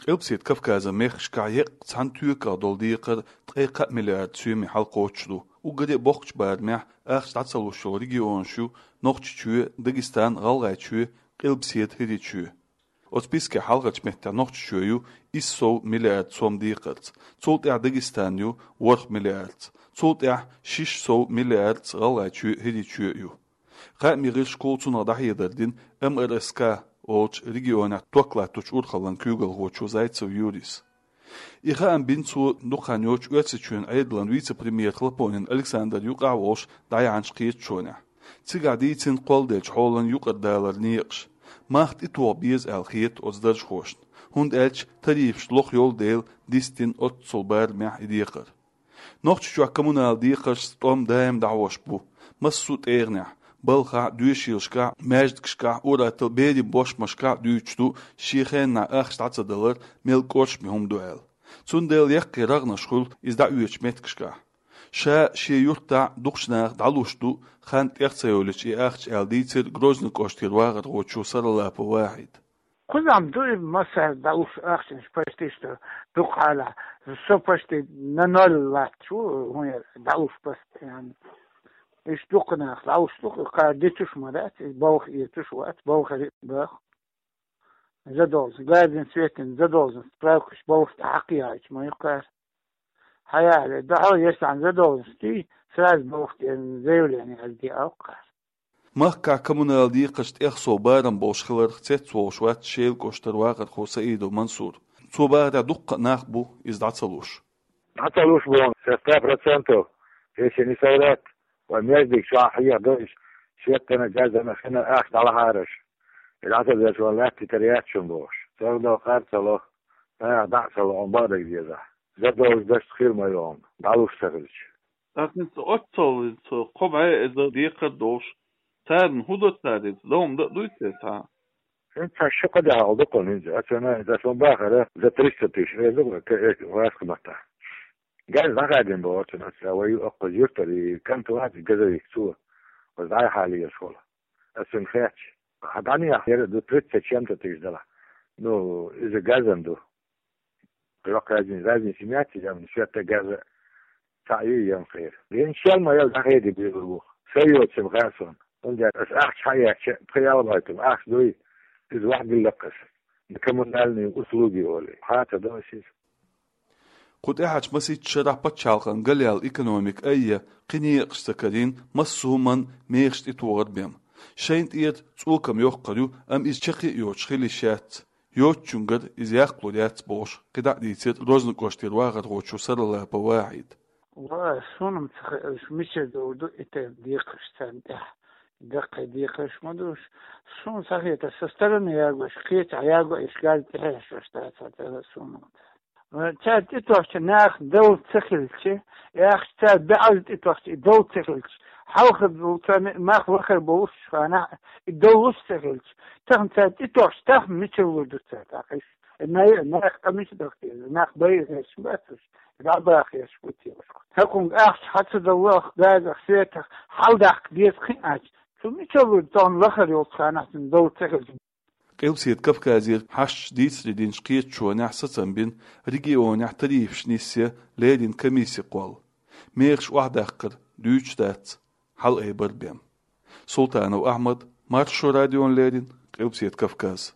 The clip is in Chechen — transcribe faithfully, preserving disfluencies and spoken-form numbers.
Къилбаседа Кавказан мехкашкахь еккъа цхьана токах долу декхар ткъе кхаа миллиард соьме хьалакхочуш ду. Уггаре а боккхачу барамехь ахча дӀа ца луш йолу регионаш ю Нохчийчоь, Дагестан, ГӀалгӀайчоь, Къилбаседа ХӀирийчоь. Оцу спискехь хьалхарчу меттехь Нохчийчоь ю исс сов миллиард сом декхарца, цул тӀаьхьа Дагестан ю ворхӀ миллиардца, цул тӀаьхьа шиш сов миллиардца ГӀалгӀайчоь, ХӀирийчоь ю. Кхаамийн гӀирсашкахула цунах дӀахьедар дина М Р С К олучу регионехь ток латточу урхаллин куьйгалхочо Зайцев Юрис. И хаам бина цо дукха хан йоццуш Оьрсийчоьнан Ӏедалан вице-премьер Хлопонин Александр юкъахь а волуш дӀаяьхьначу кхеташонехь. Цигахь дийцина кхолладеллачу хьолан юкъара даларан некъаш. Мах тӀетоха беза аьлла хета оцу даржхошна, хӀунда аьлча тарифаш лоха йолу дела дистина оццул барамехь и декхар. Нохчийчохь коммунал декхаршца тӀом даим дӀахьош бу. Массо а тӀегӀанехь, балхахь а, доьшийлашкахь а, маьждигашкахь а, ур-атталла берийн бошмашкахь а дуьйцуш ду шен хеннахь ахча дӀа ца далар мел кӀоршаме хӀума ду аьлла. Цундела яккхий рагӀнаш хуьлу иза дӀаоьцучу меттигашкахь. Ша шен юьртахь дукхачу наха дӀалуш ду, хан тӀех ца йолуьйтуш и ахча аьлла дийцира Грозный кӀоштера вахархочо Саралапов Вахьида. Кхузахь ду и массаьрга дӀалуш ахчанаш почти что дукха хьалахь. Со почти на ноль латташ ву, хӀун яра, дӀалуш постоянно. Иштта дукха нах дӀалуш ду, кхара дитуш ма дац, и балха оьцуш вац, балхара баха. Задолженность, газан, светан задолженность, справкаш балха тӀе хьакхайкхийча ма ю кхара. Хьаяхье, дахьал еш цхьана задолженность, сразу балха тӀе заявление яздеш ю кхара. Махкахь коммунал декхарш тӀех сов барам болуш хиларх цецволуш вац Шелан кӀоштара вахархо Саидов Мансур. Цо бахарехь, дуккха а нах бу иза дӀа ца луш. ДӀа ца луш боху, со ста процентов, если не соврать, вайн маьждиг чохь хьехадо иза, светана, газана, хина ахча дӀалахьара аша. И дӀа ца луш вайн лаьтта йитар яц шуна бохуш. Царна кхара ца ло, наха дӀа а ца ло, бакъдерг дезахь. Задолженность хир ма ю хьуна, дӀалуш ца хилча. ТӀаккха хӀинца оццул, хӀинца кхо бӀе эзар декхар долуш, царна хӀун до цара иза? Дов-м дан а дуй те цхьа? ХӀинца цхьа ши-кхо де хьал ду кхунна хӀинца. Аса ма, аса ма бахара, за триста тысяч, э, ду, э, ваьшка матта. Газ дӀахадийна боху цунна, аса вай ю оккхуза юьртара, и кӀант вац газовик цо, аса дӀай хьалаелаш волу. Аса цунна хаьттича, хьан дӀанехьа яра ду тридцать с чем-то тысяч дала. Ну, иза газан ду. Йоккха разница, разница яц иза, амма шетта газа цхьаъ ю янхера. Вен шел ма ял дӀахеди бегур ву. Ша йоцург хаьа суна. ХӀунда аьлча аса ахча хьаэцча, пхи-ялх байтал ахча дуй, иза ваьхьа дилла-кх аса. Коммунальные услуги олий. Хьа ца до аса иза. Кху тӀаьхьарчу масийтта шарахь пачхьалкхан галъяьлла экономика айъа, кхин некъаш ца карийна, массо а хӀуманна мехаш тӀетохар бен. Шайна тӀера цӀокам йоккхур ю, амма иза чаккхе а йоцуш хила йиш яц. Йоцучуьнгара иза яккхалур яц бохуш, кхидӀа а дийцира Грозный кӀоштера вахархочо Саралапов Вахьида. Ва, суна-м ца хаьа, уьш мичара долу ду и тайпа декхарш царна тӀехь. Даккхий декхарш ма ду уьш. Суна ца хета, со стороны ягош, кхечахь ягош, газ тӀехьешош дац хьан тӀера суна. Ва, цара тӀетохча наха дов ца хилча, яхаш цара баьӀаза тӀетохча и дов ца хилча, хьалха долу царна мах вахар болуш ханахь и дов луш ца хилча, тахана цара тӀетохча, тахана мичара лур ду цара тӀаккха уьш? Най-, нах къамис даха деза, нах байа хезаш бац уьш, дӀабаха хезаш бу те уьш. ХӀокхунга ахча хьа ца даллалах, газах, светах хьаладаккха деза кхин а аьлча, цу мичара вуьду тахана лахара йолчу ханахь цуьнан дов ца хилча? Къилбаседа Кавказера хьашташ дийцаре динчу кхеташонехь сацам бина регионехь тарифаш нисъян леррина комисси кхолла. Мехаш охьадаккхар дуьйцуш дац, хьалаайбар бен. Султанов Ахьмад, Маршо радиона леррина, Къилбаседа Кавказ.